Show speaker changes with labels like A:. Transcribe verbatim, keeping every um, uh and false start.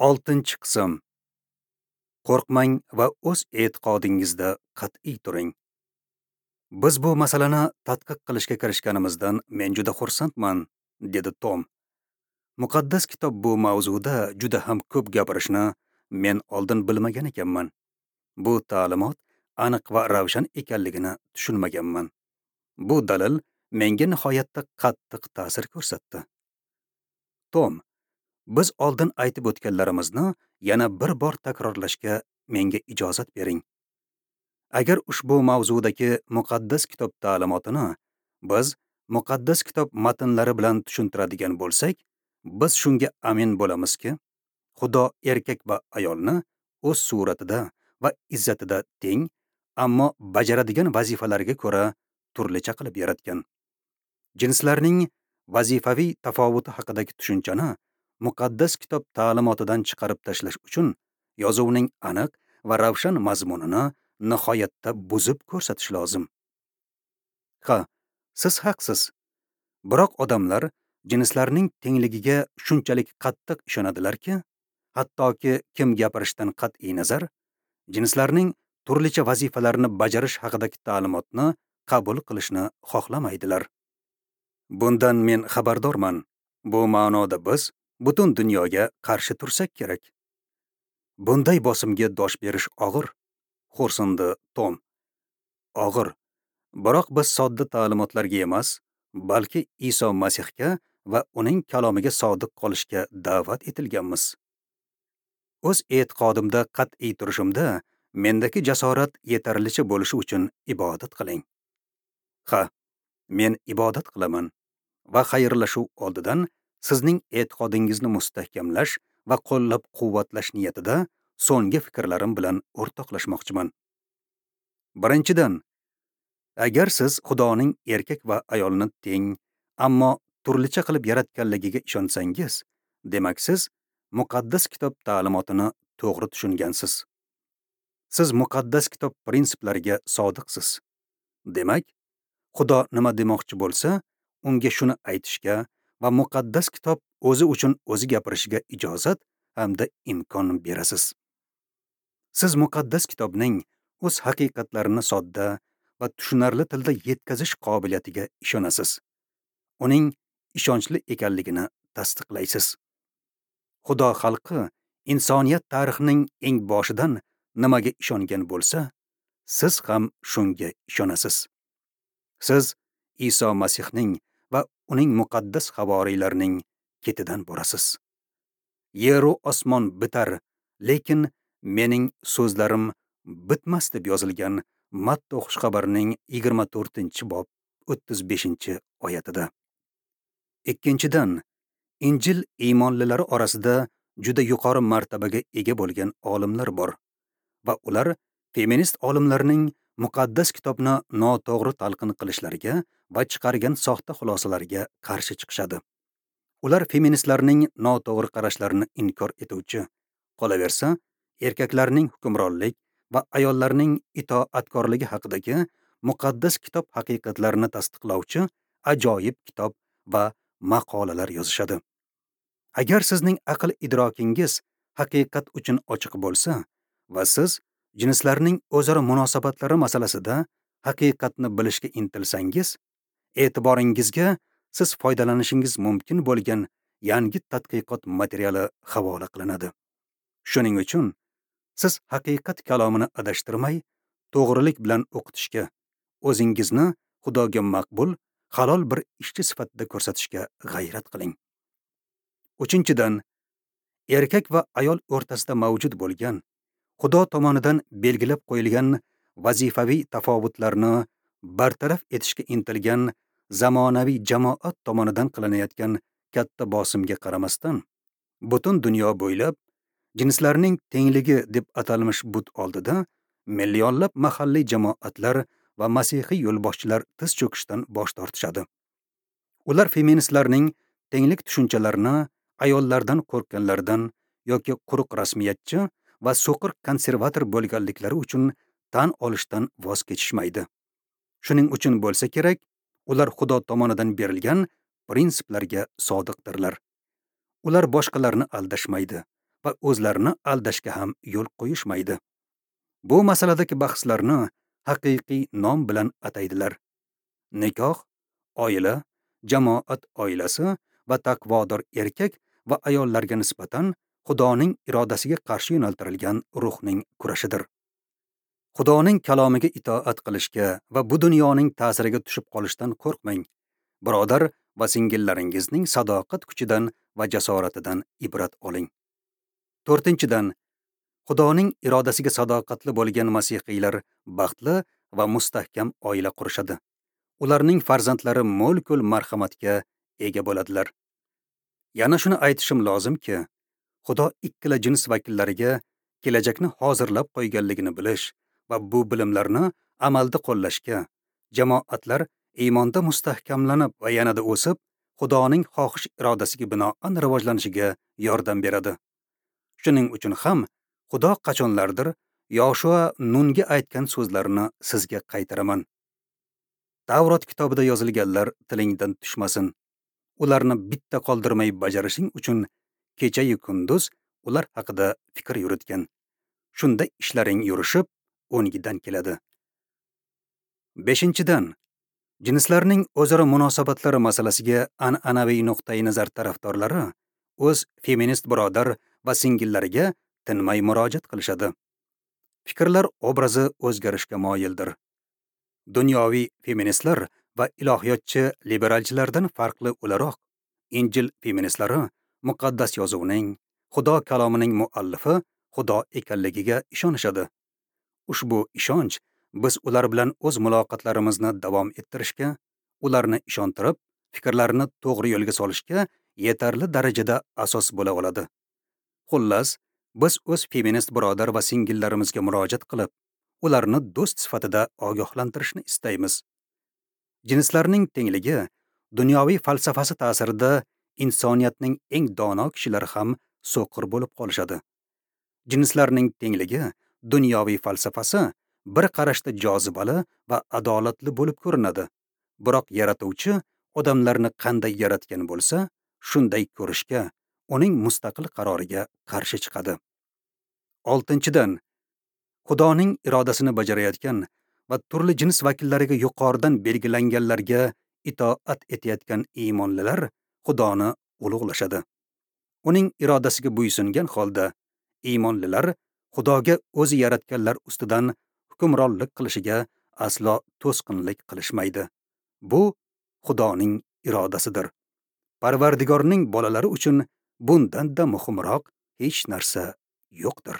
A: Oltinchi qism. Qo'rqmang va o'z e'tiqodingizda qat'iy turing. Biz bu masalani tadqiq qilishga kirishganimizdan men juda xursandman, dedi Tom. Muqaddas kitob bu mavzuda juda ham ko'p gapirishni men oldin bilmagan ekanman. Bu ta'limot aniq va ravshan ekanligini tushunmaganman. Bu dalil menga nihoyatda qattiq ta'sir ko'rsatdi. Tom, biz oldin aytib o'tganlarimizni yana bir bor takrorlashga menga ijozat bering. Agar ushbu mavzudagi muqaddas kitob ta'limotini biz muqaddas kitob matnlari bilan tushuntiradigan bo'lsak, biz shunga amin bo'lamizki, Xudo erkak va ayolni o'z suratida va izzatida teng, ammo bajaradigan vazifalariga ko'ra turlicha qilib yaratgan. Jinslarning vazifaviy tafovuti haqidagi tushunchani muqaddas kitob ta'limotidan chiqarib tashlash uchun yozuvning aniq va ravshan mazmunini nihoyatda buzib ko'rsatish lozim. Ha, siz haqsiz. Biroq odamlar jinslarning tengligiga shunchalik qattiq ishonadilarki, hattoki kim gapirishdan qat'iy nazar, jinslarning turlicha vazifalarni bajarish haqidagi ta'limotni qabul qilishni xohlamaydilar. Bundan men xabardorman. Bu ma'noda biz butun dunyoga qarshi tursak kerak. Bunday bosimga dosh berish og'ir, xo'rsindi Tom. Og'ir. Biroq biz sodda ta'limotlarga emas, balki Iso Masihga va uning kalomiga sodiq qolishga da'vat etilganmiz. O'z e'tiqodimda qat'iy turishimda mendagi jasorat yetarlicha bo'lishi uchun ibodat qiling. Ha, men ibodat qilaman va xayrlashuv oldidan sizning e'tiqodingizni mustahkamlash va qo'llab-quvvatlash niyatida so'nggi fikrlarim bilan o'rtoqlashmoqchiman. Birinchidan, agar siz Xudoning erkak va ayolni teng, ammo turlicha qilib yaratganligiga ishonsangiz, demak siz muqaddas kitob ta'limotini to'g'ri tushungansiz. Siz muqaddas kitob prinsiplariga sodiqsiz. Demak, Xudo nima demoqchi bo'lsa, unga shuni aytishga va muqaddas kitob o'zi uchun o'zi gapirishiga ijozat hamda imkon berasiz. Siz muqaddas kitobning o'z haqiqatlarini sodda va tushunarli tilda yetkazish qobiliyatiga ishonasiz. Uning ishonchli ekanligini tasdiqlaysiz. Xudo xalqi insoniyat tarixining eng boshidan nimaga ishongan bo'lsa, siz ham shunga ishonasiz. Siz Iso Masihning va uning muqaddas havoriylarining ketidan borasiz. Yeru osmon bitar, lekin mening so'zlarim bitmas deb yozilgan Matta xushxabarining yigirma to'rtinchi bob o'ttiz beshinchi oyatida. Ikkinchidan, Injil iymonlilari orasida juda yuqori martabaga ega bo'lgan olimlar bor va ular feminist olimlarning muqaddas kitobni noto'g'ri talqin qilishlariga va chiqargan soxta xulosalariga qarshi chiqishadi. Ular feministlarning noto'g'ri qarashlarini inkor etuvchi, qolaversa, erkaklarning hukmronlik va ayollarning itoatkorligi haqidagi muqaddas kitob haqiqatlarini tasdiqlovchi ajoyib kitob va maqolalar yozishadi. Agar sizning aql idrokingiz haqiqat uchun ochiq bo'lsa va siz jinslarning o'zaro munosabatlari masalasida haqiqatni bilishga intilsangiz, e'tiboringizga siz foydalanishingiz mumkin bo'lgan yangi tadqiqot materiali havola qilinadi. Shuning uchun siz haqiqat kalomini adashtirmay, to'g'rilik bilan o'qitishga, o'zingizni Xudoga maqbul, halol bir ishchi sifatida ko'rsatishga g'ayrat qiling. Uchinchidan, erkak va ayol o'rtasida mavjud bo'lgan, Xudo tomonidan belgilab qo'yilgan vazifaviy tafovutlarni bartaraf etishga intilgan zamonaviy jamoat tomonidan qilinayotgan katta bosimga qaramasdan, butun dunyo bo'ylab jinslarning tengligi deb atalmish but oldida millionlab mahalliy jamoatlar va masihiy yo'lboshchilar tiz cho'kishdan bosh tortishadi. Ular feministlarning tenglik tushunchalarini ayollardan qo'rqqanlardan yoki quruq rasmiyatchi va so'qir konservator bo'lganliklari uchun tan olishdan voz kechishmaydi. Shuning uchun bo'lsa kerak, ular Xudo tomonidan berilgan prinsiplarga sodiqdirlar. Ular boshqalarni aldashmaydi va o'zlarini aldashga ham yo'l qo'yishmaydi. Bu masaladagi bahslarni haqiqiy nom bilan ataydilar. Nikoh, oila, jamoat oilasi va taqvodor erkak va ayollarga nisbatan Xudoning irodasiga qarshi yo'naltirilgan ruhning kurashidir. Xudoning kalomiga itoat qilishga va bu dunyoning ta'siriga tushib qolishdan qo'rqmang. Birodar va singillaringizning sadoqat kuchidan va jasoratidan ibrat oling. To'rtinchidan, Xudoning irodasiga sadoqatli bo'lgan masihiylar baxtli va mustahkam oila qurishadi. Ularning farzandlari mo'l-ko'l marhamatga ega bo'ladilar. Yana shuni aytishim lozimki, Xudo ikkala jins vakillariga kelajakni hozirlab qo'yganligini bilish va bu bilimlarni amalda qo'llashga, jamoatlar iymonda mustahkamlanib va yanada o'sib, Xudoning xohish irodasiga binoan rivojlanishiga yordam beradi. Shuning uchun ham Xudo qachonlardir Yoshua Nunga aytgan so'zlarini sizga qaytaraman. Tavrot kitobida yozilganlar tilingdan tushmasin. Ularni bitta qoldirmay bajarishing uchun kecha-yu kunduz ular haqida fikr yuritgan. Shunda ishlaring yurishib, o'ngidan keladi. Beshinchidan, jinslarning o'zaro munosabatlari masalasiga an'anaviy nuqtai nazar tarafdorlari o'z feminist birodar va singillariga tinmay murojaat qilishadi. Fikrlar obrazi o'zgarishga moyildir. Dunyoviy feministlar va ilohiyotchi liberalchilardan farqli o'laroq, Injil feministlari muqaddas yozuvning, Xudo kalomining muallifi Xudo ekanligiga ishonishadi. Ushbu ishonch biz ular bilan o'z muloqotlarimizni davom ettirishga, ularni ishontirib, fikrlarini to'g'ri yo'lga solishga yetarli darajada asos bo'la oladi. Xullas, biz o'z feminist birodar va singillarimizga murojaat qilib, ularni do'st sifatida ogohlantirishni istaymiz. Jinslarning tengligi dunyoviy falsafasi ta'sirida insoniyatning eng dono kishilari ham so'qir bo'lib qolishadi. Jinslarning tengligi dunyoviy falsafasi bir qarashda jozibali va adolatli bo'lib ko'rinadi. Biroq yaratuvchi odamlarni qanday yaratgan bo'lsa, shunday ko'rishga, uning mustaqil qaroriga qarshi chiqadi. Oltinchidan, Xudoning irodasini bajarayotgan va turli jins vakillariga yuqoridan belgilanganlarga itoat etayotgan iymonlilar Xudoni ulug'lashadi. Uning irodasiga bo'ysungan holda iymonlilar Xudoga o'zi yaratganlar ustidan hukmronlik qilishiga aslo to'sqinlik qilishmaydi. Bu Xudoning irodasidir. Parvardigorning bolalari uchun bundan-da muhimroq hech narsa yo'qdir.